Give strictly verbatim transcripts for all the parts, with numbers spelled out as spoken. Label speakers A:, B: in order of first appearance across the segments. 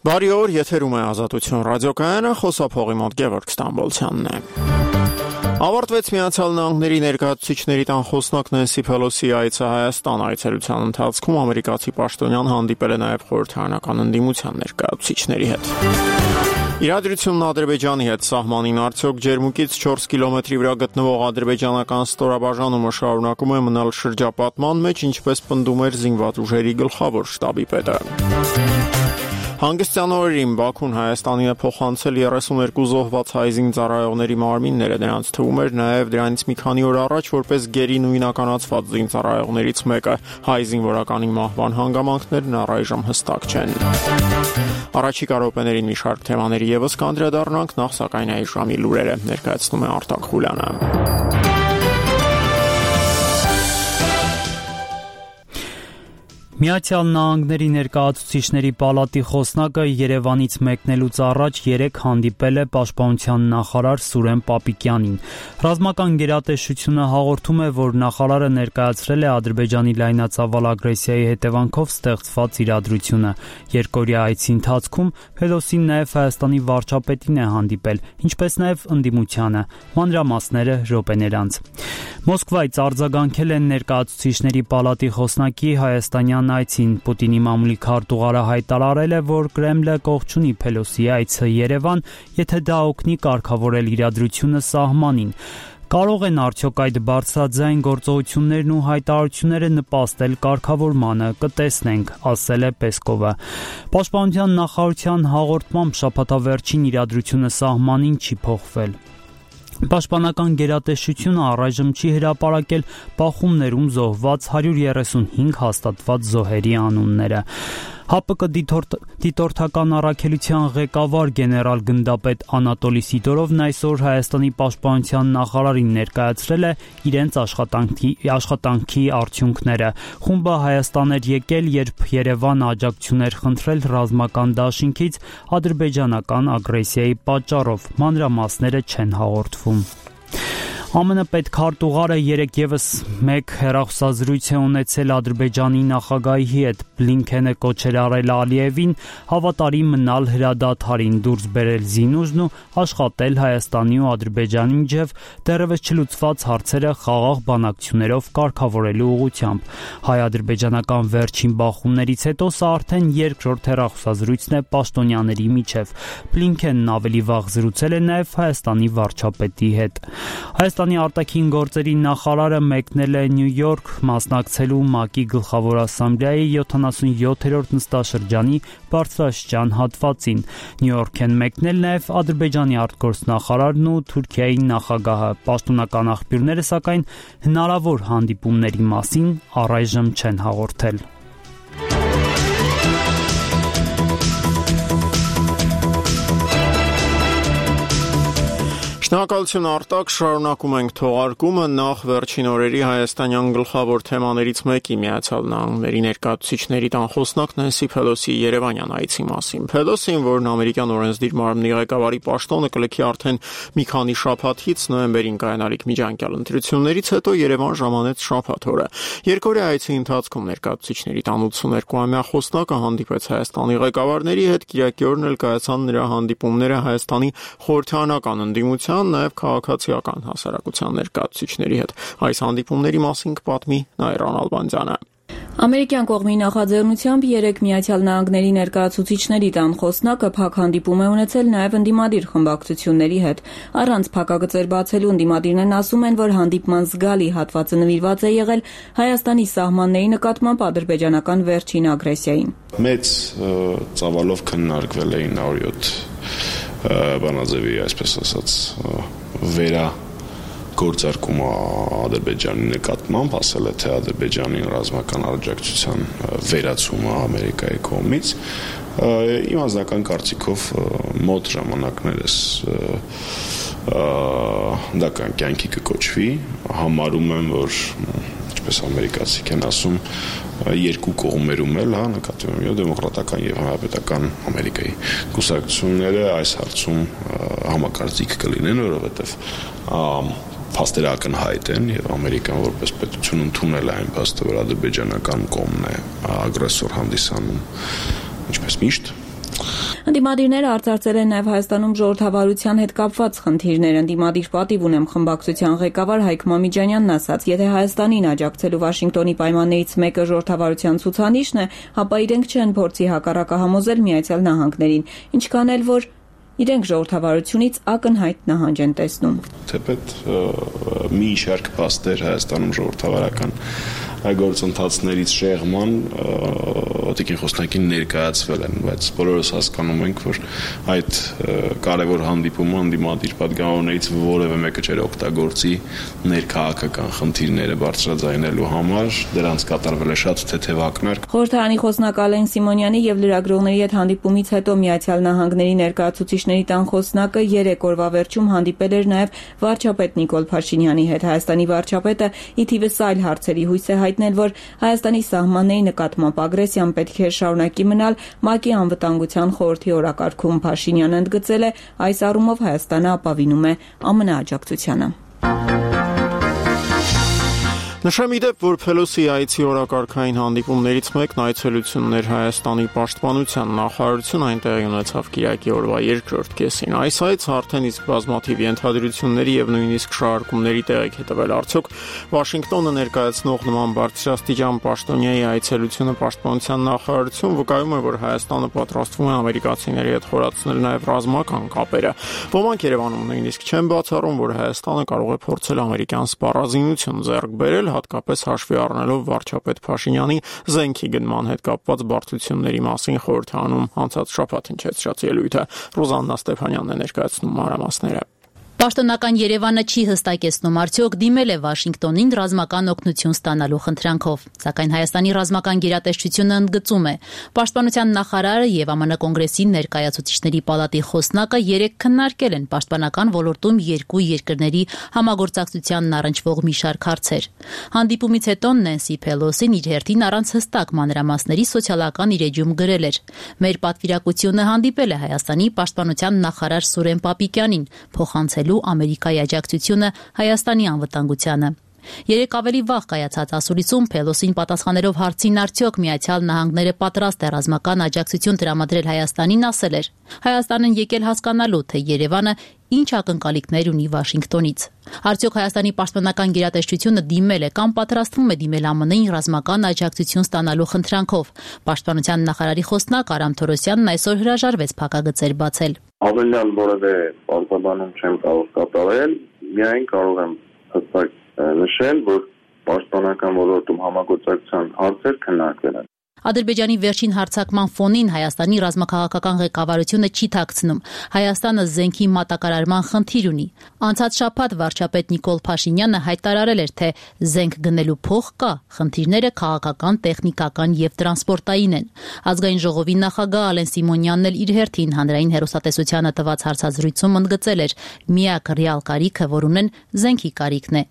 A: Բարի օր, եթերում է Ազատություն ռադիոկայանը, խոսափողի մոտ Գևորգ Ստամբոլցյանն է։ Ավարտվեց Միացյալ Նահանգների ներկայացուցիչների տան խոսնակ Նենսի Փելոսի այցը Հայաստան։ Այցելության ընթացքում ամերիկացի պաշտոնյան հանդիպել է նաև խորհրդարանական ընդդիմության ներկայացուցիչների հետ։ Իրադրությունն Ադրբեջանի հետ սահմանին արդյոք ջերմուկից չորս կիլոմետրի վրա գտնվող ադրբեջանական ստորաբաժանումը շարունակում է մնալ շրջապատման մեջ, ինչպես պնդում էր զինված ուժերի գլխավոր շտաբի պետը։ Հանգստյան օրերին Բաքուն Հայաստանին է փոխանցել երեսուներկու զոհված հայ զինծառայողների մարմինները, նրանց թվում էր նաև դրանից մի քանի օր առաջ որպես գերի նույնականացված զինծառայողներից մեկը։ Հայ զինվորականի մահվան հանգամանքներն առայժմ հստակ չեն։ Առաջիկա րոպեներին մի շարք թեմաների ևս կանդրադառնանք, նախ սակայն այս ժամի լուրերը ներկայացնում է Արտակ Խուլյանը։
B: Միացյալ Նահանգների ներկայացուցիչների պալատի խոսնակը Երևանից մեկնելուց առաջ երեկ հանդիպել է պաշտպանության նախարար Սուրեն Պապիկյանին։ Ռազմական գերատեսչությունը հաղորդում է, որ նախարարը ներկայացրել է Ադրբեջանի լայնածավալ ագրեսիայի հետևանքով ստեղծված իրադրությունը։ Երկօրյա այցի ընթացքում Փելոսին նաև Հայաստանի վարչապետին է հանդիպել, ինչպես նաև ընդդիմությանը։ Մանրամասները րոպեներ անց։ Մոսկվայից արձագանքել են ներկայացուցիչների պալատի խոսնակի հայաստանյան այցին։ Պուտինի մամուլի քարտուղարը հայտարարել է, որ Կրեմլը կողջունի Փելոսի այցը Երևան, եթե դա օգնի կարգավորել իրադրությունը սահմանին։ Կարող են արդյոք այդ բարձրաձայն գործողություններն ու հայտարարությունները նպաստել կարգավորմանը, կտեսնենք, ասել է Պեսկովը։ Պաշտպանության նախարարության հաղորդմամբ շաբաթավերջին իրադրությունը սահմանին չի փոխվել։ Պաշտպանական գերատեսչությունը առայժմ չի հրապարակել բախումներում զոհված հարյուր երեսունհինգ հաստատված զոհերի անունները։ ՀԱՊԿ դիտորդական առաքելության ղեկավար գեներալ գնդապետ Անատոլի Սիդորովն այսօր Հայաստանի պաշտպանության նախարարին ներկայացրել է իրենց աշխատանքի, աշխատանքի արդյունքները։ Խումբը Հայաստան էր եկել, երբ Երևանը աջակցություն էր խնդրել ռազմական դաշինքից ադրբեջանական ագրեսիայի պատճառով։ Մանրամասները չեն հաղորդվում։ ԱՄՆ պետքարտուղարը երեկ ևս մեկ հեռախոսազրույց է ունեցել Ադրբեջանի նախագահի հետ։ Բլինքենը կոչել արել Ալիևին հավատարիմ մնալ հրադադարին, դուրս բերել զինուժն ու աշխատել Հայաստանի ու Ադրբեջանի միջև դեռևս չլուծված հարցերը խաղաղ բանակցություններով կարգավորելու ուղղությամբ։ Հայ-ադրբեջանական վերջին բախումներից հետո սա արդեն երկրորդ հեռախոսազրույցն է պաշտոնյաների միջև։ Բլինքենն ավելի վաղ զրուցել է նաև Հայաստանի վարչապետի հետ։ Հայաստանի արտաքին գործերի նախարարը մեկնել է Նյու Յորք մասնակցելու ՄԱԿ-ի գլխավոր ասամբլեայի յոթանասունյոթերորդ նստաշրջանի բարձրաստիճան հատվածին։ Նյու Յորք են մեկնել նաև Ադրբեջանի արտգործնախարարն ու Թուրքիայի նախագահը։ Պաշտոնական աղբյուրները, սակայն, հնարավոր հանդիպումների մասին առայժմ չեն հաղորդել։
A: Շնորհակալություն Արտակ, շարունակում ենք թողարկումը։ Նախ վերջին օրերի հայաստանյան գլխավոր թեմաներից մեկի Միացյալ Նահանգների ներկայացուցիչների տան խոսնակ Նենսի Փելոսի Երևանյան այցի մասին։ Փելոսին, որն ամերիկյան օրենսդիր մարմնի ղեկավարի պաշտոնը կլքի արդեն մի քանի շաբաթից, նոյեմբերին կայանալիք միջանկյալ ընտրություններից հետո Երևան ժամանեց շաբաթ օրը։ Երկօրյա այցի ընթացքում ներկայացուցիչների տան ութսուներկուամյա խոսնակը հանդիպեց Հայաստանի ղեկավարների հետ, Կիրակի օրն էլ կայացան նրա հանդիպումները Հայաստանի խորհրդարանական ընդդիմության, նաև քաղաքացիական հասարակության ներկայացուցիչների հետ։ Այս հանդիպումների մասին կպատմի Նայրան Ալբանդյանը։
C: Ամերիկյան կողմի նախաձեռնությամբ երեք Միացյալ Նահանգների ներկայացուցիչների տան խոսնակը փակ հանդիպում է ունեցել նաև ընդդիմադիր խմբակցությունների հետ։ Առանց փակագծեր բացելու ընդդիմադիրներն ասում են, որ հանդիպման զգալի հատվածը նվիրված է եղել Հայաստանի սահմանների նկատմամբ ադրբեջանական վերջին ագրեսիային։
D: Մեծ ծավալով քննարկվել էին նորյոթ բանաձևի, այսպես ասած, վերա գործարկումը Ադրբեջանի նկատմամբ, ասել է, թե Ադրբեջանի ռազմական աջակցության վերացումը Ամերիկայի կողմից։ Իմ անձնական կարծիքով մոտ ժամանակներս դա կյանքի կկոչվի, համարում եմ, որ ինչպես ամերիկացիք են ասում, երկու կողմերում էլ, հա, նկատի ունեմ դեմոկրատական եւ հանրապետական Ամերիկայի կուսակցությունները այս հարցում համակարծիք կլինեն, որովհետեւ փաստերը ակնհայտ են եւ Ամերիկան որպես պետություն ընդունել է այն փաստը, որ ադրբեջանական կողմն է ագրեսոր հանդիսանում, ինչպես միշտ։
C: Ընդդիմադիրները արձարծել են նաև Հայաստանում ժողովրդավարության հետ կապված խնդիրներ։ Ընդդիմադիր պատիվ ունեմ խմբակցության ղեկավար Հայկ Մամիջանյանն ասաց, եթե Հայաստանին աջակցելու Վաշինգտոնի պայմաններից մեկը ժողովրդավարության ցուցանիշն է, ապա իրենք չեն փորձի հակառակը համոզել Միացյալ Նահանգներին, ինչքան էլ որ իրենք ժողովրդավարությունից ակնհայտ նահանջ են տեսնում։
D: Թեպետ մի շարք փաստեր Հայաստանում ժողովրդավարական գործընթացներից շեղման Տիկին Խոսնակին ներկայացվել են, բայց բոլորս հասկանում ենք, որ այդ կարևոր հանդիպումը ընդդիմադիր պատգամավորներից որևէ մեկը չէր օգտագործի ներքաղաքական խնդիրները բարձրաձայնելու համար, դրանց կատարվել է շատ թեթև ակնարկ։
C: Խորհրդարանի խոսնակ Ալեն Սիմոնյանի եւ լրագրողների հետ հանդիպումից հետո Միացյալ Նահանգների ներկայացուցիչների տան խոսնակը երեք օրվա վերջում հանդիպել էր նաեւ վարչապետ Նիկոլ Փաշինյանի հետ։ Հայաստանի վարչապետը ի թիվս այլ հարցերի հույս է հայտնել, որ Հայաստանի սահմանների նկատմամբ ագրեսիան պետք է շարունակի մնալ ՄԱԿ-ի անվտանգության խորհրդի օրակարգում։ Փաշինյանը ընդգծել է, այս առումով Հայաստանը ապավինում է ԱՄՆ աջակցությանը։
A: Նշեմ ի դեպ, որ Փելոսի այցի օրակարգային հանդիպումներից մեկն այցելությունն էր Հայաստանի պաշտպանության նախարարություն, այնտեղ ունեցավ կիրակի օրվա երկրորդ կեսին։ Այս այցը արդեն իսկ բազմաթիվ ենթադրությունների եւ նույնիսկ շարժումների տեղիք է տվել։ Արդյոք Վաշինգտոնը ներկայացնող նման բարձրաստիճան պաշտոնյայի այցելությունը պաշտպանության նախարարություն վկայում է, որ Հայաստանը պատրաստվում է ամերիկացիների հետ խորացնել նաեւ ռազմական կապերը։ Ոմանք Երևանում նույնիսկ չեն բացառում, որ Հայաստանը կարող է փորձել ամերիկյան սպառազինություն ձեռք բերել, հատկապես հաշվի առնելով վարչապետ Փաշինյանի զենքի գնման հետ կապված բարդությունների մասին խորհրդանում անցած շաբաթ հնչեցրած ելույթը։ Ռոզաննա Ստեփանյանն է ներկայացնում մանրամասները։
E: Պաշտոնական Երևանը չի հստակեցնում, արդյոք դիմել է Վաշինգտոնին ռազմական օգնություն ստանալու խնդրանքով, սակայն Հայաստանի ռազմական գերատեսչությունը ընդգծում է. Պաշտպանության նախարարը եւ ԱՄՆ կոնգրեսի ներկայացուցիչների պալատի խոսնակը երեկ քննարկել են պաշտպանական ոլորտում երկու երկրների համագործակցությանն առնչվող մի շարք հարցեր։ Հանդիպումից հետո Նենսի Փելոսին իր հերթին առանց հստակ մանրամասների սոցիալական իր էջում գրել էր. Մեր պատվիրակությունը հանդիպել է Հայաստանի պաշտպանության նախարար Սուրեն Պապիկյանին, փոխանցել Ամերիկայի աջակցությունը Հայաստանի անվտանգությանը։ Երեք ավելի վաղ կայացած ասուլիսում Փելոսին պատասխանելով հարցին արդյոք Միացյալ Նահանգները պատրաստ է ռազմական աջակցություն տրամադրել Հայաստանին, ասել էր. Հայաստանն եկել հասկանալու, թե Երևանը ինչ ակնկալիքներ ունի Վաշինգտոնից։ Արդյոք Հայաստանի պաշտպանական գերատեսչությունը դիմել է կամ պատրաստվում է դիմել ԱՄՆ-ին ռազմական աջակցություն ստանալու խնդրանքով։ Պաշտպանության նախարարի խոսնակ Արամ Թորոսյանն այսօր հրաժարվեց փակագծեր բացել։
F: Ավելյալ որևէ արձագանք չեմ կարող կատարել, միայն կարող եմ հստակ նշել, որ պաշտպանական ոլորտում համագործակցության հարցեր քննարկվել են։
E: Ադրբեջանի վերջին հարձակման ֆոնին Հայաստանի ռազմաքաղաքական ղեկավարությունը չի թաքցնում։ Հայաստանը զենքի մատակարարման խնդիր ունի։ Անցած շաբաթ վարչապետ Նիկոլ Փաշինյանը հայտարարել էր, թե զենք գնելու փող կա, խնդիրները քաղաքական, տեխնիկական եւ տրանսպորտային են։ Ազգային ժողովի նախագահ Ալեն Սիմոնյանն էլ իր հերթին հանրային հեռուստատեսությանը տված հարցազրույցում ընդգծել էր. միակ ռեալ կարիքը, որ ունեն, զենքի կարիքն է։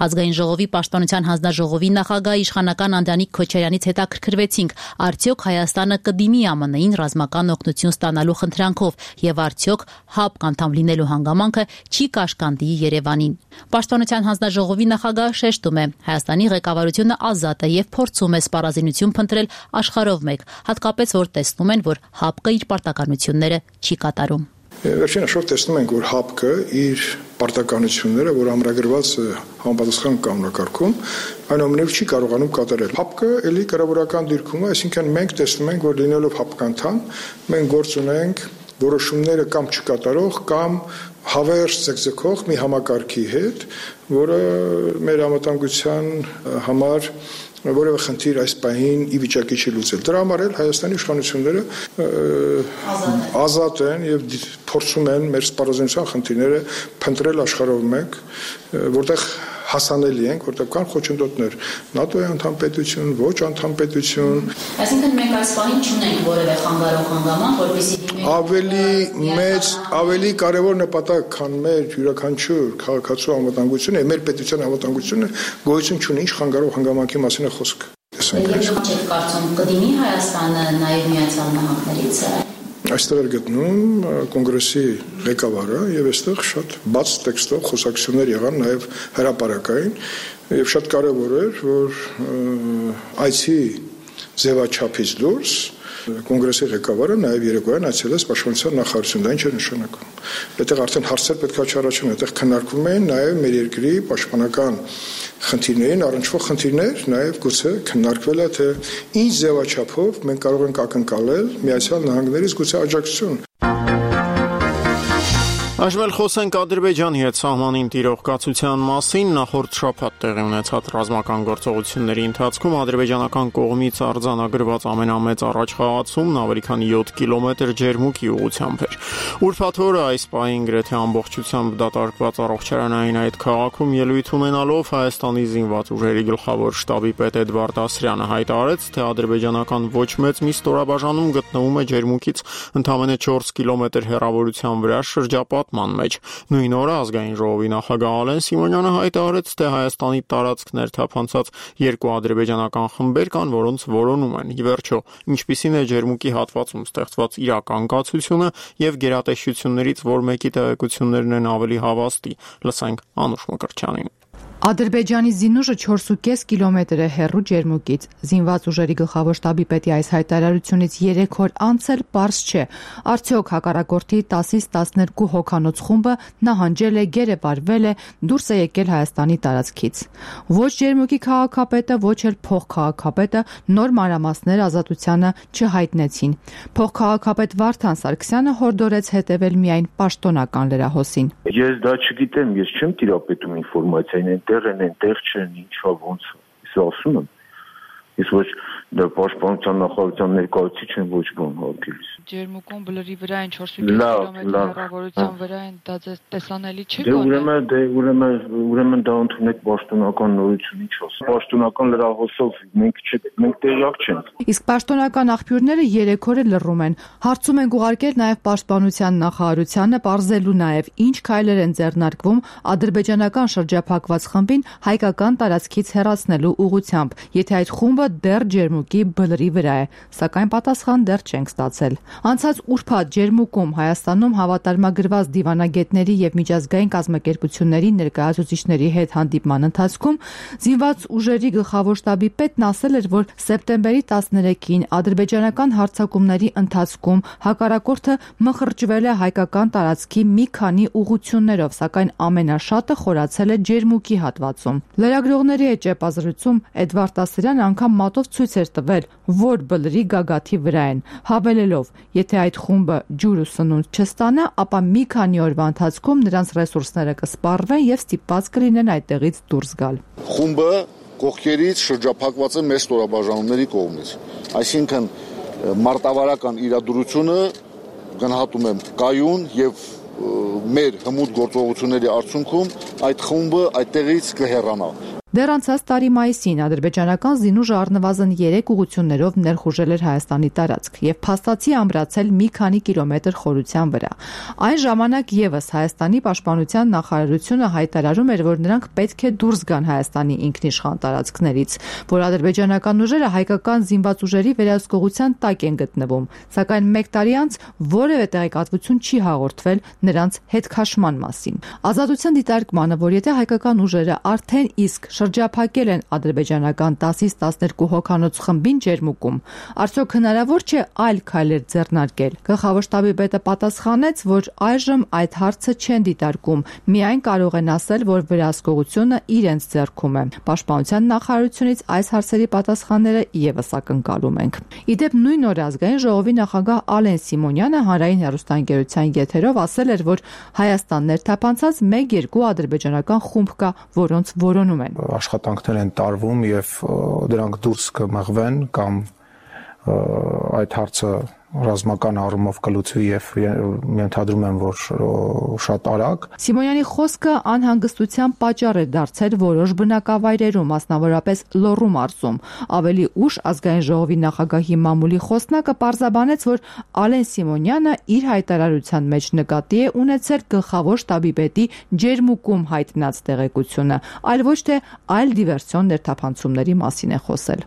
E: Ազգային ժողովի պաշտպանության հանձնաժողովի նախագահ իշխանական Անդրանիկ Քոչարյանից հետաքրքրվեցինք, արդյոք Հայաստանը կդիմի ԱՄՆ-ին ռազմական օգնություն ստանալու խնդրանքով եւ արդյոք ՀԱՊԿ անդամ լինելու հանգամանքը չի կաշկանդի Երևանին։ Պաշտպանության հանձնաժողովի նախագահը շեշտում է, Հայաստանի ղեկավարությունը ազատ է եւ փորձում է սպառազինություն փնտրել աշխարհով մեկ, հատկապես որ տեսնում են, որ ՀԱՊԿ իր պարտականությունները չի կատարում։
G: Վերջին հաշվով տեսնում ենք, որ ՀԱՊԿ-ը իր պարտականությունները, որ ամրագրված է համապատասխան կանոնակարգում, այնուամենայնիվ չի կարողանում կատարել։ ՀԱՊԿ-ը էլի կառավարական դիրքում է, այսինքն մենք տեսնում ենք, որ լինելով ՀԱՊԿ անդամ, մենք գործ ունենք որոշումները կամ չկատարող կամ հավերժ ձգձգող մի համակարգի հետ, որը մեր անվտանգության համար որևէ խնդիր այս պահին ի վիճակի չի լուծել։ Դրա համար էլ Հայաստանի իշխանությունները ազատ են եւ փորձում են մեր սպառազինության խնդիրները փնտրել աշխարհով մեկ, որտեղ հասանելի ենք, որտեղ կան խոչընդոտներ, ՆԱՏՕ-ի անդամպետություն, ոչ անդամպետություն։
E: Այսինքն մենք այս պահին չունենք որևէ խանգարող հանգամանք, որպեսզի դիմենք
G: ավելի մեծ, ավելի կարևոր նպատակ, քան մեր յուրաքանչյուր քաղաքացու անվտանգությունը, մեր պետության անվտանգությունը գոյություն չունի, ինչ խանգարող հանգամանքի մասին է խոսքը։
E: Եթե չեք կարծում կդիմի Հայաստանը նաև Միացյալ Նահանգներից։
G: Այստեղ էր գտնում կոնգրեսի ղեկավարը եւ այստեղ շատ բաց տեքստով խոսակցություններ եղան նաեւ հրապարակային եւ շատ կարեւոր էր, որ այցի ձևաչափից դուրս Կոնգրեսի ղեկավարը նաև երեկոյան այցելեց պաշտպանության նախարարություն, դա ինչ է նշանակում։ Այդտեղ արդեն հարցեր պետք է չառաջում, այդտեղ քննարկվում են նաև մեր երկրի պաշտպանական խնդիրներին առնչվող խնդիրներ, նաև գուցե քննարկվել է, թե ինչ ձևաչափով մենք կարող ենք ակնկալել Միացյալ Նահանգներից գուցե աջակցություն։
A: Այժմ խոսենք Ադրբեջանի հետ սահմանին տիրող կացության մասին։ Նախորդ շաբաթ տեղի ունեցած ռազմական գործողությունների ընթացքում ադրբեջանական կողմից արձանագրված ամենամեծ առաջխաղացումն ավելի քան յոթ կիլոմետր ջերմուկի ուղղությամբ էր։ Ուրբաթ օրը այս պահին գրեթե ամբողջությամբ դատարկված առողջարանային այդ քաղաքում ելույթ ունենալով Հայաստանի զինված ուժերի գլխավոր շտաբի պետ Էդվարդ Ասրյանը հայտարարեց, թե ադրբեջանական ոչ մեծ մի ստորաբաժանում գտնվում է ջերմուկից ընդամենը չորս կիլոմետր հեռավորության վրա շրջապատման մեջ։ Նույն օրը ազգային ժողովի նախագահ Ալեն Սիմոնյանը հայտարարեց, թե Հայաստանի տարածքներ թափանցած երկու ադրբեջանական խմբեր կան, որոնց որոնում են։ Ի վերջո, ինչպիսին է ջերմուկի հատվածում ստեղծված իրական կացությունը եւ գերատեսչություններից որ մեկի տեղեկություններն են ավելի հավաստի։ Լսենք Անուշ Մկրտչյանին։
H: Ադրբեջանի զինուժը չորս ու կես կիլոմետր է հեռու ջերմուկից։ Զինված ուժերի գլխավոր շտաբի պետի այս հայտարարությունից երեք օր անց էլ պարզ չէ, արդյոք հակառակորդի տասից տասներկու հոգանոց խումբը նահանջել է, գերեվարվել է, դուրս է եկել Հայաստանի տարածքից։ Ոչ ջերմուկի քաղաքապետը, ոչ էլ փոխքաղաքապետը նոր մանրամասներ ազատությանը չհայտնեցին։ Փոխքաղաքապետ Վարդան Սարգսյանը հորդորեց հետևել միայն պաշտոնական լրահոսին։
I: Ես դա չգիտեմ, ես չեմ տիրապետում ինֆորմացիային, այնտեղ են, այնտեղ չեն, ինչա ոնց։ Ես ասում եմ։ Ես ոչ դա պաշտպանության նախարարության ներկայացուցիչ են, ոչ բան հարգելիս։
J: Ջերմուկում բլրի վրա են չորս ու կես կիլոմետր հեռավորության վրա են, դա տեսանելի չի
I: գոնե։ Դե ուրեմն, դե ուրեմն, ուրեմն դա ընդունեք պաշտոնական նորություն, ինչ ասեմ։ Պաշտոնական լրահոսով մենք մենք տեղյակ չենք։
H: Իսկ պաշտոնական աղբյուրները երեք օր լռում են։ Հարցում են ուղարկել նաև պաշտպանության նախարարությանը, պարզելու նաև ինչ քայլեր են ձեռնարկվում ադրբեջանական շրջափակված խմբին հայկական տարածքից հեռացնելու ուղղությամբ, եթե այդ խումբը դեռ ջերմուկի բլրի վրա է, սակայն պատասխան դեռ չենք ստացել։ Անցած ուրբաթ ջերմուկում Հայաստանում հավատարմագրված դիվանագետների եւ միջազգային կազմակերպությունների ներկայացուցիչների հետ հանդիպման ընթացքում զինված ուժերի գլխավոր շտաբի պետն ասել էր, որ սեպտեմբերի տասներեքին ադրբեջանական հարձակումների ընթացքում հակառակորդը մխրճվել է հայկական տարածքի մի քանի ուղղություններով, սակայն ամենաշատը խորացել է ջերմուկի հատվածում։ Լրագրողների հետ ճեպազրույցում Էդվարդ Ասրյանը անգամ մատով ցույց էր տվել, որ բլրի գագաթի վրա են, հավելելով, եթե այդ խումբը ջուր ու սնունդ չստանա, ապա մի քանի օրվա ընթացքում նրանց ռեսուրսները կսպառվեն եւ ստիպված կլինեն այդտեղից դուրս գալ։
K: Խումբը կողքերից շրջափակված է մեծ ստորաբաժանումների կողմից, այսինքն մարտավարական իրադրությունը գնահատում եմ կայուն եւ մեր հմուտ գործողությունների արդյունքում այդ խումբը այդտեղից կհեռանա։
H: Դեռ անցած տարի մայիսին ադրբեջանական զինուժը առնվազն երեք ուղղություններով ներխուժել էր Հայաստանի տարածք եւ փաստացի ամրացել մի քանի կիլոմետր խորության վրա։ Այն ժամանակ եւս Հայաստանի պաշտպանության նախարարությունը հայտարարում էր, որ նրանք պետք է դուրս գան Հայաստանի ինքնիշխան տարածքներից, որ ադրբեջանական ուժերը հայկական զինված ուժերի վերահսկողության տակ են գտնվում, սակայն մեկ տարի անց որևէ տեղեկատվություն չի հաղորդվել նրանց հետքաշման մասին։ Ազատության դիտարկմանը, որ եթե հայկական ուժերը արդեն իսկ շրջափակել են ադրբեջանական տասից տասներկու հոգանոց խմբին ջերմուկում, արդյոք հնարավոր չէ այլ քայլեր ձեռնարկել։ Գլխավոր շտաբի պետը պատասխանեց, որ այժմ այդ հարցը չեն դիտարկում, միայն կարող են ասել, որ վերահսկողությունը իրենց ձեռքում է։ Պաշտպանության նախարարությունից այս հարցերի պատասխանները եւս ակնկալում ենք։ Իդեպ նույն օրը ազգային ժողովի նախագահ Ալեն Սիմոնյանը հանրային հեռուստաընկերության եթերով ասել էր, որ Հայաստան ներթափանցած մեկ-երկու ադրբեջանական խումբ կա, որոնց որոնում են։
G: Աշխատանքներ են տարվում եւ դրանք դուրս կմղվեն կամ այդ հարցը ռազմական առումով կլուծվի եւ ենթադրում եմ, որ շատ արագ։
H: Սիմոնյանի խոսքը անհանգստության պատճառ է դարձել որոշ բնակավայրերում, մասնավորապես Լոռու մարզում։ Ավելի ուշ ազգային ժողովի նախագահի մամուլի խոսնակը պարզաբանեց, որ Ալեն Սիմոնյանը իր հայտարարության մեջ նկատի է ունեցել գլխավոր շտաբի պետի ջերմուկում հայտնած տեղեկությունը, այլ ոչ թե այլ դիվերսիոն ներթափանցումների մասին է խոսել։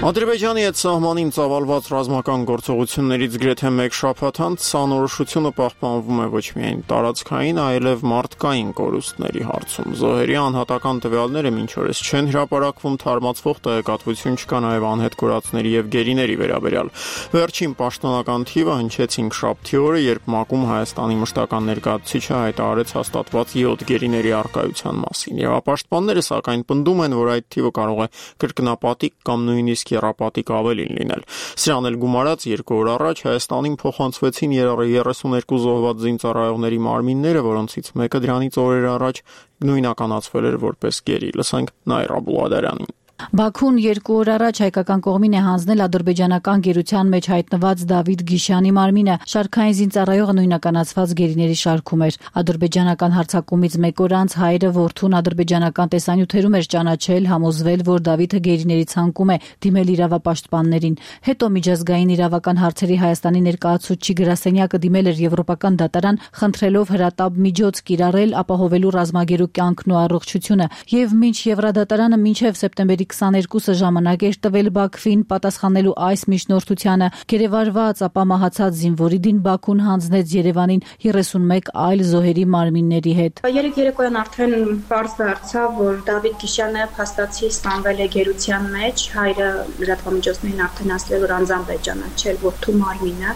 A: Ադրբեջանի հետ սահմանին ծավալված ռազմական գործողություններից գրեթե մեկ շաբաթ անց սանորոշությունը պահպանվում է ոչ միայն տարածքային, այլև մարդկային կորուստների հարցում։ Զոհերի անհատական տվյալները մինչ օրս չեն հրապարակվում, թարմացվող տեղեկատվություն չկա նաև անհետ կորածների եւ գերիների վերաբերյալ։ Վերջին պաշտոնական թիվը հնչեց հինգշաբթի օրը, երբ ՄԱԿ-ում Հայաստանի մշտական ներկայացուցիչը հայտարարեց հաստատված յոթ գերիների առկայության մասին։ Եվրապաշտպանները սակայն պնդում են, որ այդ թիվը կարող է կրկնապատիկ կամ նույնիսկ երապատիկ ավելին լինել։ Սրան էլ գումարած երկու օր առաջ Հայաստանին փոխանցվեցին երեսուներկու զոհված զինծառայողների մարմինները, որոնցից մեկը դրանից օրեր առաջ նույնականացվել էր որպես գերի։ Լսենք Նայր Աբուլադարյանին։
E: Բաքուն երկու օր առաջ հայկական կողմին է հանձնել ադրբեջանական գերության մեջ հայտնված Դավիթ Գիշյանի մարմինը։ Շարքային զինծառայողը նույնականացված գերիների շարքում էր։ Ադրբեջանական հարձակումից մեկ օր անց հայրը որդուն ադրբեջանական տեսանյութերում էր ճանաչել, համոզվել, որ Դավիթը գերիների ցանկում է դիմել իրավապաշտպաններին։ Հետո միջազգային իրավական հարցերի Հայաստանի ներկայացուցչի գրասենյակը դիմել էր Եվրոպական դատարան, խնդրելով հրատապ միջոց կիրառել ապահովելու ռազմագերու կյանքն ու առողջությունը, եւ մինչ Եվրադատարանը մինչև սեպտեմբերի քսաներկուսը ժամանակ էր տվել Բաքվին պատասխանելու այս միջնորդությանը, գերեվարված ապա մահացած զինվորի դին Բաքուն հանձնեց Երևանին երեսունմեկ այլ զոհերի մարմինների հետ։
L: Երեք երեկոյան արդեն պարզ դարձավ, որ Դավիթ Գիշյանը փաստացի սպանվել է գերության մեջ, հայրը լրատվամիջոցներին արդեն ասել, որ անձամբ է ճանաչել որդու մարմինը։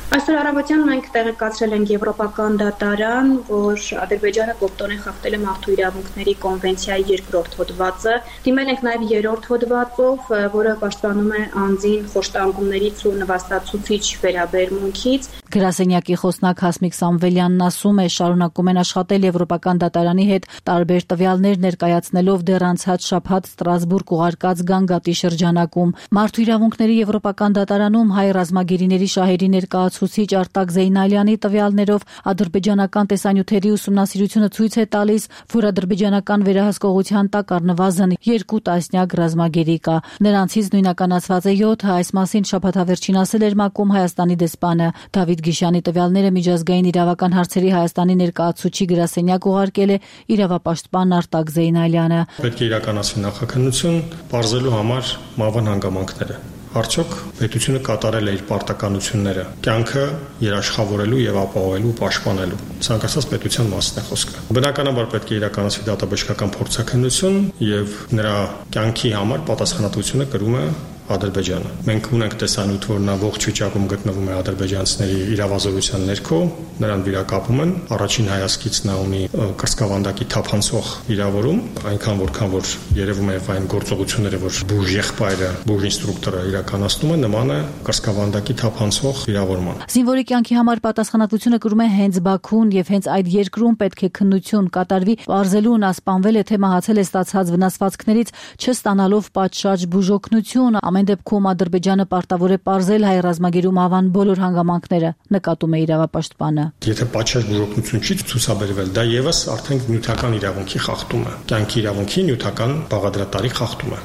L: Այսօր առավոտյան մենք տեղեկացրել ենք Եվրոպական դատարան, որ Ադրբեջանը կոպտորեն խախտել է մարդու իրավունքների կոնվենցիայի երկրորդ հոդվածը։ Դիմել ենք նաև երրորդ հոդվածով, որը պաշտպանում է անձին խոշտանգումներից ու նվաստացուցիչ վերաբերմունքից։
E: Գրասենյակի խոսնակ Հասմիկ Սամվելյանն ասում է, շարունակում են աշխատել Եվրոպական դատարանի հետ, տարբեր տվյալներ ներկայացնելով դեռ անցած շաբաթ Ստրասբուրգ ուղարկած գանգատի շրջանակում։ Մարդու իրավունքների Եվրոպական դատարանում հայ ռազմագերիների շահերի ներկայացուցիչ Արտակ Զեյնալյանի տվյալներով ադրբեջանական տեսանյութերի ուսումնասիրությունը ցույց է տալիս, որ ադրբեջանական վերահսկողության տակ առնվազն երկու տասնյակ ռազմագերի կա։ Նրանցից նույնականացված է յոթը, այս մասին շաբաթավերջին ասել էր ՄԱԿ-ում Հայաստանի դեսպանը։ Դավիթ Գիշյանի տվյալները միջազգային իրավական հարցերի Հայաստանի ներկայացուցչի գրասենյակ ուղարկել է իրավապաշտպան Արտակ Զեյնալյանը։
M: Պետք է իրականացվի նախաքննություն, բարձելու համար մավան հանգամանքները։ Արդյոք պետությունը կատարել է իր պարտականությունները կյանքը երաշխավորելու եւ ապահովելու, պաշտպանելու։ Ցանկացած պետության մասն է խոսքը։ Բնականաբար պետք է իրականացվի դատաբժշկական փորձաքննություն եւ նրա կյանքի համար պատասխանատվությունը կրում է Ադրբեջանը։ Մենք ունենք տեսանյութ, որ նա ողջ վիճակում գտնվում է ադրբեջանցիների իրավազորության ներքո, նրան վիրակապում են։ Առաջին հայացքից նա ունի կրծքավանդակի թափանցող վիրավորում, այնքան որքան որ երևում է այն գործողությունները, որ բուժ եղբայրը, բուժ ինստրուկտորը իրականացնում է, նման է կրծքավանդակի թափանցող վիրավորման։
E: Զինվորի կյանքի համար պատասխանատվությունը կրում է հենց Բաքուն եւ հենց այդ երկրում պետք է քննություն կատարվի, ողջելու նա սպանվել է թե մահացել է ստացած վնասվածքներից, չստանալով պատշաճ բուժօգնություն։ Ամեն դեպքում Ադրբեջանը պարտավոր է պարզել հայ ռազմագերու մահվան բոլոր հանգամանքները, նկատում է իրավապաշտպանը։
M: Եթե պատշաճ բուժօգնություն չի ցուցաբերվել, դա եւս արդեն նյութական իրավունքի խախտում է։ Կյանքի իրավունքի նյութական բաղադրատարի խախտում է։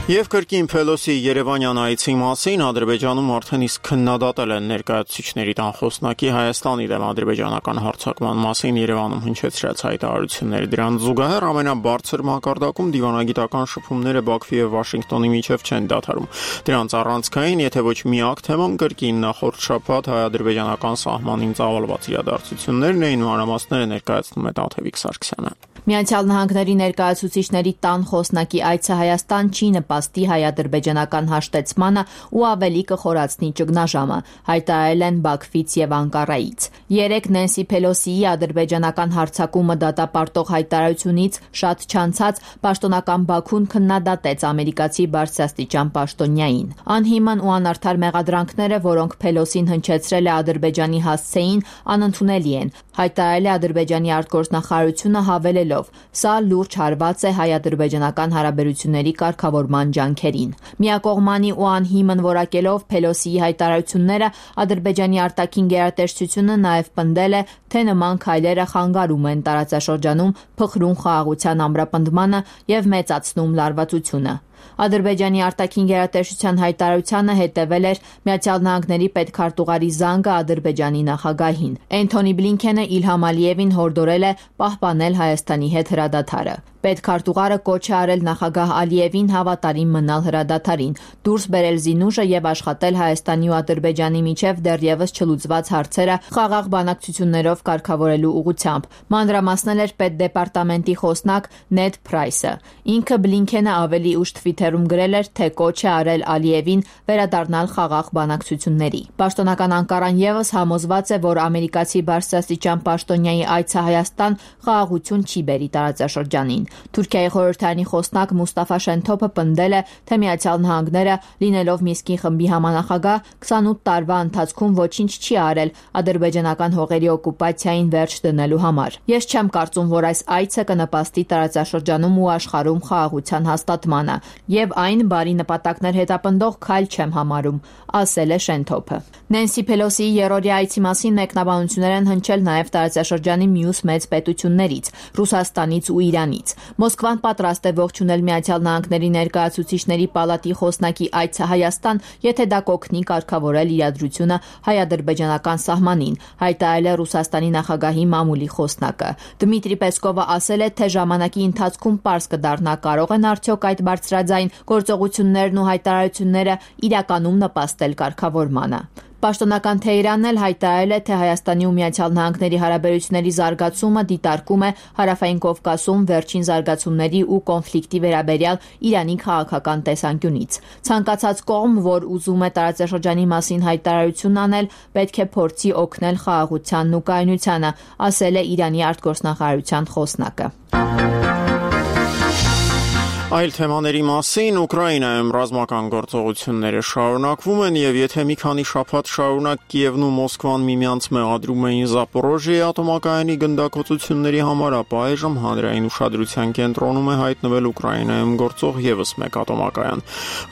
A: Եվ կրկին Փելոսի Երևանյան այցի մասին Ադրբեջանում արդեն իսկ քննադատել են ներկայացուցիչների տան խոսնակի Հայաստանի դեմ ադրբեջանական հարձակման մասին Երևանում հնչեցրած հայտարարությունները։ Դրան զուգահեռ ամենաբարձր մակարդակում դիվանագիտական շփումները Բաքվի եւ Վաշինգտոնի միջև չեն դադարում։ Դրանց առանցքային, եթե ոչ միակ թեման կրկին նախորդ շաբաթ հայ-ադրբեջանական սահմանին ծավալված իրադարձություններն էին, մանրամասները ներկայացնում է Տաթևիկ Սարգսյանը։
N: Միացյալ Նահանգների ներկայացուցիչների տան խոսնակի այցը Հայաստան չի նպաստի հայ-ադրբեջանական հաշտեցմանը ու ավելի կխորացնի ճգնաժամը, հայտարարել են Բաքվից եւ Անկարայից։ Երեկ Նենսի Փելոսիի ադրբեջանական հարձակումը դատապարտող հայտարարությունից շատ չանցած պաշտոնական Բաքուն քննադատեց ամերիկացի բարձրաստիճան պաշտոնյային։ Անհիմն ու անարդար մեղադրանքները, որոնք Փելոսին հնչեցրել է Ադրբեջանի հասցեին, անընդունելի են, հայտարարել է Ադրբեջանի արտգործնախարարությունը հավելելով. Սա լուրջ հարված է հայ-ադրբեջանական հարաբերությունների կարգավորման ջանքերին։ Միակողմանի ու անհիմն որակելով Փելոսիի հայտարարությունները Ադրբեջանի արտաքին գերատեսչությունը նաև պնդել է, թե նման քայլերը խանգարում են տարածաշրջանում փխրուն խաղաղության ամրապնդմանը եւ մեծացնում լարվածությունը։ Ադրբեջանի արտաքին գերատեսչության հայտարարությանը հետևել էր Միացյալ Նահանգների պետքարտուղարի զանգը Ադրբեջանի նախագահին։ Էնթոնի Բլինքենը Իլհամ Ալիևին հորդորել է պահպանել Հայաստանի հետ հրադադարը։ Պետքարտուղարը կոչ է արել նախագահ Ալիևին հավատարիմ մնալ հրադադարին, դուրս բերել զինուժը եւ աշխատել Հայաստանի ու Ադրբեջանի միջև դեռևս չլուծված հարցերը խաղաղ բանակցություններով կարգավորելու ուղղությամբ։ Մանրամասնել էր պետդեպարտամենտի խոսնակ Նեդ Փրայսը։ Ինքը Բլինքենը ավելի ուշ թվիթերում գրել էր, թե կոչ է արել Ալիևին վերադառնալ խաղաղ բանակցությունների։ Պաշտոնական Անկարան եւս համոզված է, որ ամերիկացի բարձրաստիճան պաշտոնյայի այցը Հայաստան խաղաղություն չի բերի տարածաշրջանին։ Թուրքիայի խորհրդարանի խոսնակ Մուստաֆա Շենթոփը պնդել է, թե Միացյալ Նահանգները, լինելով Մինսկի խմբի համանախագահ, քսանութ տարվա ընթացքում ոչինչ չի արել ադրբեջանական հողերի օկուպացիային վերջ դնելու համար։ Ես չեմ կարծում, որ այս այցը կնպաստի տարածաշրջանում ու աշխարհում խաղաղության հաստատմանը, եւ այն բարի նպատակներ հետապնդող քայլ չեմ համարում, ասել է Շենթոփը։ Նենսի Փելոսիի երրորդյա այցի մասին մեկնաբանություններ են հնչել նաեւ տարածաշրջանի մյուս մեծ պետություններից՝ Ռուսաստանից ու Իրանից։ Մոսկվան պատրաստ է ողջունել Միացյալ Նահանգների ներկայացուցիչների պալատի խոսնակի այցը Հայաստան, եթե դա կօգնի կարգավորել իրադրությունը հայ-ադրբեջանական սահմանին, հայտարարել է Ռուսաստանի նախագահի մամուլի խոսնակը։ Դմիտրի Պեսկովը ասել է, թե ժամանակի ընթացքում պարզ կդառնա կարող են արդյոք այդ բարձրաձայն գործողություններն ու հայտարարությունները իրականում նպաստել կարգավորմանը։ Պաշտոնական Թեհրանն էլ հայտարարել է, թե Հայաստանի ու Միացյալ Նահանգների հարաբերությունների զարգացումը դիտարկում է Հարավային Կովկասում վերջին զարգացումների ու կոնֆլիկտի վերաբերյալ Իրանի քաղաքական տեսանկյունից։ Ցանկացած կողմ, որ ուզում է տարածաշրջանի մասին հայտարարություն անել, պետք է փորձի օգնել խաղաղությանն ու կայունությանը, ասել է Իրանի արտգործնախարարության խոսնակը։
A: Այլ թեմաների մասին Ուկրաինայում ռազմական գործողությունները շարունակվում են եւ եթե մի քանի շաբաթ շարունակ Կիևն ու Մոսկվան միմյանց մեղադրում էին Զապորոժիեի ատոմակայանի գնդակոծությունների համար, ապա այժմ հանրային ուշադրության կենտրոնում է հայտնվել Ուկրաինայում գործող եւս մեկ ատոմակայան,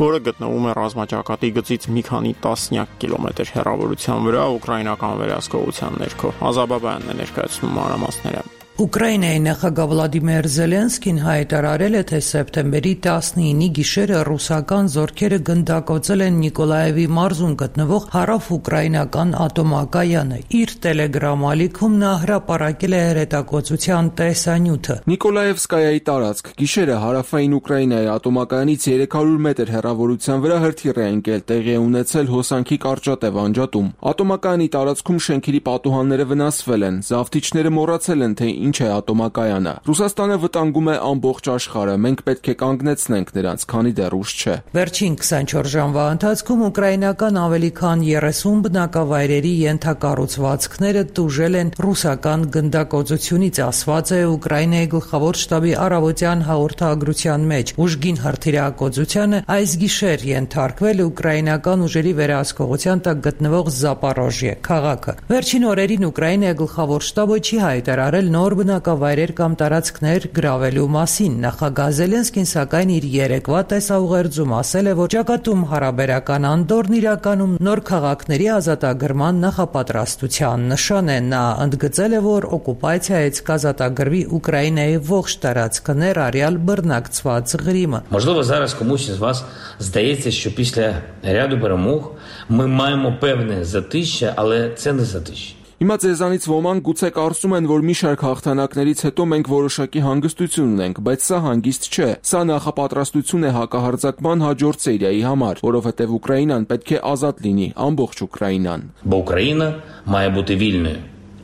A: որը գտնվում է ռազմաճակատի գծից մի քանի տասնյակ կիլոմետր հեռավորության վրա ուկրաինական վերահսկողության ներքո։ Ազաբաբյանն է ներկայացնում մանրամասները։
O: Ուկրաինայի նախագահ Վլադիմիր Զելենսկին հայտարարել է, թե սեպտեմբերի տասնինի գիշերը ռուսական զորքերը գնդակոծել են Նիկոլաևի մարզում գտնվող հարավ-ուկրաինական ատոմակայանը։ Իր տելեգրամ ալիքում նա հրապարակել է հրետակոծության տեսանյութը։
P: Նիկոլաևսկայայի տարածք գիշերը հարավային Ուկրաինայի ատոմակայանից երեք հարյուր մետր հեռավորության վրա հրթիռ է ընկել, տեղի է ունեցել հոսանքի կարճատև անջատում։ Ատոմակայանի տարածքում շենքերի պատուհանները վնասվել են, զավթիչները մոռացել են, թե ինչ է ատոմակայանը։ Ռուսաստանը վտանգում է ամբողջ աշխարհը, մենք պետք է կանգնեցնենք նրանց, քանի դեռ ուշ չէ։
O: Վերջին քսանչորս ժամվա ընթացքում ուկրաինական ավելի քան երեսուն բնակավայրերի ենթակառուցվածքները տուժել են ռուսական գնդակոծությունից, ասված է Ուկրաինայի գլխավոր շտաբի առավոտյան հաղորդագրության մեջ։ Ուժգին հրթիռակոծությանը այս գիշեր ենթարկվել ուկրաինական ուժերի վերահսկողության տակ գտնվող Զապորոժիե քաղաքը։ Վերջին օրերին Ուկրաինայի գլխավոր շտաբը չի հայտարարել նոր բնակավայրեր կամ տարածքներ գրավելու մասին։ Նախագահ Զելենսկին սակայն իր երեկվա տեսաուղերձում ասել է, որ ճակատում հարաբերական անդորն իրականում նոր քաղաքների ազատագրման նախապատրաստության նշան է։ Նա ընդգծել է, որ օկուպացիայից կազատագրվի Ուկրաինայի ողջ տարածքը, ներառյալ բռնակցված Ղրիմը։
Q: Можливо, зараз комусь із вас здається, що після ряду перемог ми маємо певне затища, але це не затища.
P: Հիմա ձեզանից ոմանք գուցե կարծում են, որ մի շարք հաղթանակներից հետո մենք որոշակի հանգստություն ունենք, բայց սա հանգիստ չէ։ Սա նախապատրաստություն է հակահարձակման հաջորդ սերիայի համար, որովհետև Ուկրաինան պետք է ազատ լինի, ամբողջ Ուկրաինան։
Q: Бо Україна має бути вільною.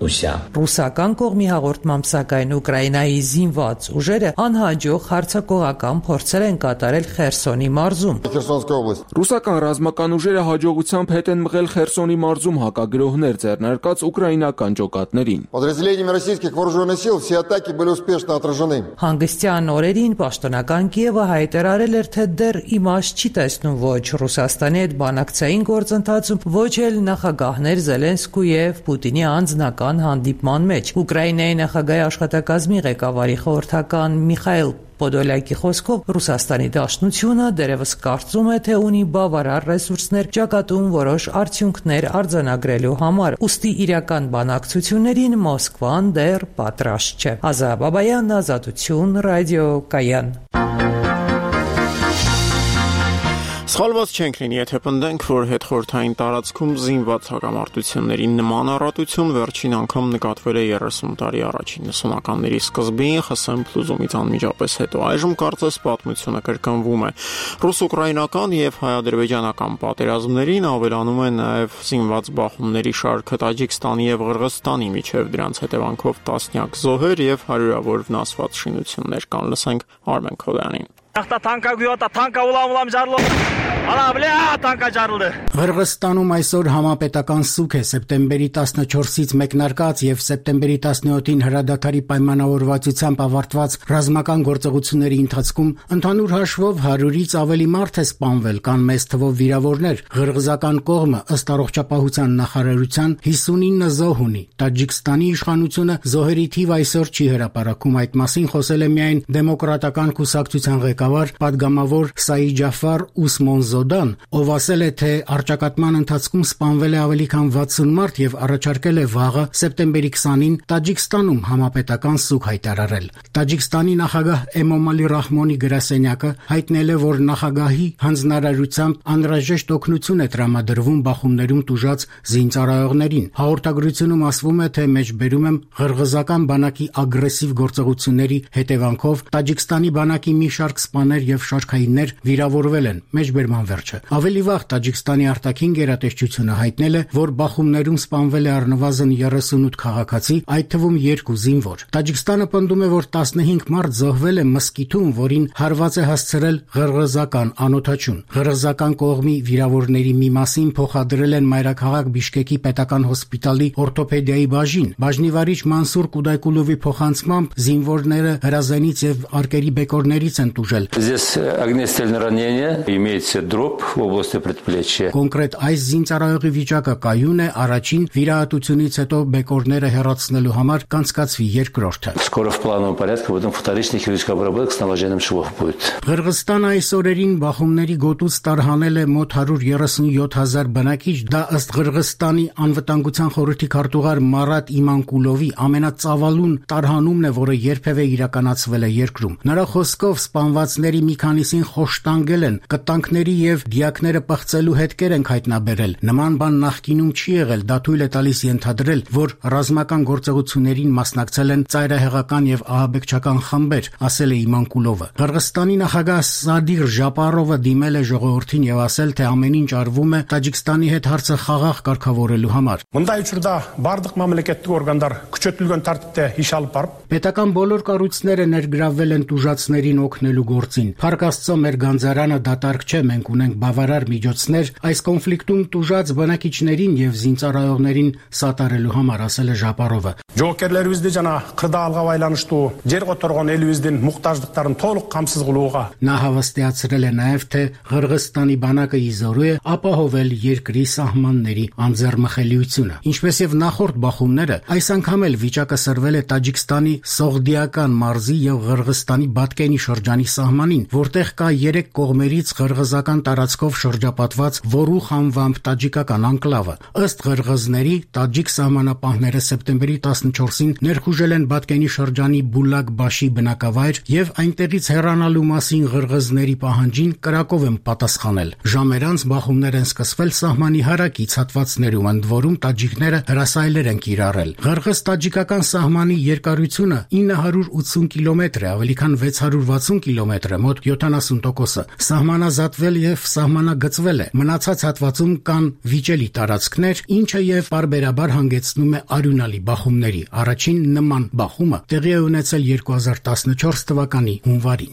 O: Ռուսական կողմի հաղորդմամբ սակայն Ուկրաինայի զինված ուժերը անհաջող հարձակողական փորձեր են կատարել Խերսոնի մարզում։
P: Ռուսական ռազմական ուժերը հաջողությամբ հետ են մղել Խերսոնի մարզում հակագրոհներ ձեռնարկած ուկրաինական ջոկատներին։
O: Հանգստյան օրերին պաշտոնական Կիևը հայտարարել էր, թե դեռ իմաստ չի տեսնում ոչ Ռուսաստանի հետ բանակցային գործընթացում, ոչ էլ նախագահներ Զելենսկու եւ Պուտինի անձնական հանդիպման մեջ։ Ուկրաինայի նախագահի աշխատակազմի ղեկավարի խորհրդական Միխայիլ Պոդոլյակի խոսքով Ռուսաստանի Դաշնությունը դերևս կարծում է, թե ունի բավարար ռեսուրսներ ճակատում որոշ արդյունքներ արձանագրելու համար, ուստի իրական բանակցություններին Մոսկվան դեռ պատրաստ չէ։ Ազա Բաբայան, Ազատություն, Ռադիո Կայան։
A: Սխալված չենք լինի, եթե պնդենք, որ հետխորհրդային տարածքում զինված հակամարտությունների նման առատություն վերջին անգամ նկատվել է երեսուն տարի առաջ իննսունականների սկզբին ԽՍՀՄ փլուզումից անմիջապես հետո։ Այժմ կարծես պատմությունը կրկնվում է։ Ռուս-ուկրաինական եւ հայ-ադրբեջանական պատերազմներին ավելանում է նաեւ զինված բախումների շարքը Տաջիկստանի եւ Ղրղստանի միջև, դրանց հետևանքով տասնյակ զոհեր եւ հարյուրավոր վնասված շինություններ կան։ Լսենք Արմեն Քոլյանին։
R: Ախտա տանկա գյուտա տանկա ուլամ ուլամ ջարլո արա բլա տանկա ջարլը
S: Ղրղստանում այսօր համապետական սուկ է սեպտեմբերի տասնչորսից մեկնարկած եւ սեպտեմբերի տասնյոթին հրադադարի պայմանավորվածությամբ ավարտված ռազմական գործողությունների ընթացքում ընդհանուր հաշվով հարյուրից ավելի մարդ է սպանվել, կան մեծ թվով վիրավորներ։ Ղրղզական կողմը ըստ առողջապահության նախարարության հիսունինը զոհ ունի։ Տաջիկստանի իշխանությունը զոհերի թիվ այսօր չի հրապարակում, այդ մասին խոսել է միայն դեմոկրատական կուսակցության ղեկավար պատգամավոր Սաիջաֆար Ուսմոնզոդան, ով ասել է, թե առճակատման ընթացքում սպանվել է ավելի քան վաթսուն մարդ եւ առաջարկել է վաղը սեպտեմբերի քսանին Տաջիկստանում համապետական սուկ հայտարարել։ Տաջիկստանի նախագահ Էմոմալի Ռահմոնի գրասենյակը հայտնել է, որ նախագահի հանձնարարությամբ անհրաժեշտ օգնություն է տրամադրվում բախումներում տուժած զինծառայողներին։ Հաղորդագրությունում ասվում է, թե մեջբերում եմ ղրղզական բանակի ագրեսիվ գործողությունների հետևանքով Տաջիկստանի բանակի մի շարք սպաներ եւ շարքայիններ վիրավորվել են։ Մեջբերման վերջը։ Ավելի վաղ Տաջիկստանի արտաքին գերատեսչությունը հայտնել է, որ բախումներում սպանվել է առնվազն երեսունութ քաղաքացի, այդ թվում երկու զինվոր։ Տաջիկստանը պնդում է, որ տասնհինգ մարդ զոհվել է մսկիթում, որին հարված է հասցրել ղրղզական անօթաչուն։ Ղրղզական կողմի վիրավորների մի մասին փոխադրել են մայրաքաղաք Բիշկեկի պետական հոսպիտալի օրթոպեդիայի բաժին։ Բաժնիվարիչ Մանսուր Կուդայկուլովի փոխանցմամբ զինվորները հրազենից եւ արկերի բեկորներից են տուժել։
T: Здесь огнестрельное ранение, имеется дробь в области предплечья.
S: Կոնկրետ այս զինծառայողի վիճակը կայուն է, առաջին վիրահատությունից հետո բեկորները հեռացնելու համար կանցկացվի երկրորդը։
T: Скоро в плановом порядке потом вторичная хирургическая обработка с наложением швов будет.
S: Ղրղստանը այս օրերին բախումների գոտուց տարհանել է մոտ հարյուր երեսունյոթ հազար բնակիչ, դա ըստ Ղրղստանի անվտանգության խորհրդի քարտուղար Մարատ Իմանկուլովի ամենածավալուն տարհանումն է, որը երբևէ իրականացվել է երկրում։ Նրա խոսքով սպանվածների մի քանիսին խոշտանգել են, կտանքների եւ դիակները պղծելու հետքեր են հայտնաբերել։ Նման բան նախկինում չի եղել, դա թույլ է տալիս ենթադրել, որ ռազմական գործողություններին մասնակցել են ծայրահեղական եւ ահաբեկչական խմբեր, ասել է Իմանկուլովը։ Ղրղստանի նախագահ Սադիղ Ժապարովը դիմել է ժողովրդին եւ ասել, թե ամեն ինչ արվում է Տաջիկստանի հետ հարցը խաղաղ կարգավորելու համար։
U: Մնդայ учурда бардык мамлекеттик органдар күчөтүлгөн тартипте иш алып барып,
S: պետական բոլոր կառույցները ներգրավվել են տուժածներին օգնելու գործին։ Փառք Աստծո, մեր գանձարանը դատարկ չէ, մենք ունենք բավարար միջոցներ այս կոնֆլիկտում տուժած բնակիչներին եւ զինծառայողներին սատարելու համար, ասել է Ժապարովը։
U: Жоокерлерибизди жана кырдаалга байланыштуу жер которгон элибиздин муктаждыктарын толук камсыз кылууга
S: Նա հավաստիացրել է նաեւ, թե Ղրղստանի բանակը իզորու է ապահովել երկրի սահմանների անձեռմխելիությունը։ Ինչպես եւ նախորդ բախումները, այս անգամ էլ վիճակը սրվել է Տաջիկստանի Սողդիական մարզի եւ Ղրղստանի Բատկենի շրջանի սահմանին, որտեղ կա երեք կողմերից ղրղզական տարածքով շրջապատված Որուխ անվամբ տաջիկական անկլավը։ Ըստ ղրղզների, տաջիկ սահմանապահները սեպտեմբերի տասնչորսին ներխուժել են Բատկենի շրջանի Բուլակ-Բաշի բնակավայր եւ այնտեղից հեռանալու մասին ղրղզների պահանջին կրակով են պատասխանել։ Ժամեր անց բախումներ են սկսվել սահմանի հարակից հատվածներում, ընդ որում տաջիկները հրասայլեր են կիրառել։ Ղրղզ-տաջիկական սահմանի երկարությունը ինը հարյուր ութսուն կիլոմետր է, ավելի քան վեց հարյուր վաթսուն կիլոմետր է, մոտ յոթանասուն տոկոսը։ Սահմանազատվել եւ սահմանագծվել է։ Մնացած հատվածում կան վիճելի տարածքներ, ինչը եւ բարբերաբար հանգեցնում է արյունալի բախումների։ Առաջին նման բախումը տեղի է ունեցել երկու հազար տասնչորս թվականի հունվարին։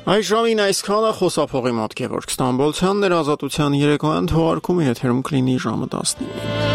A: Այս ժամին այսքանը խոսափողի մոտ Գևորգ Ստամբոլցյանն էր, Ազատության երեկոյան թողարկումը եթերում կլինի ժամը տասնինը։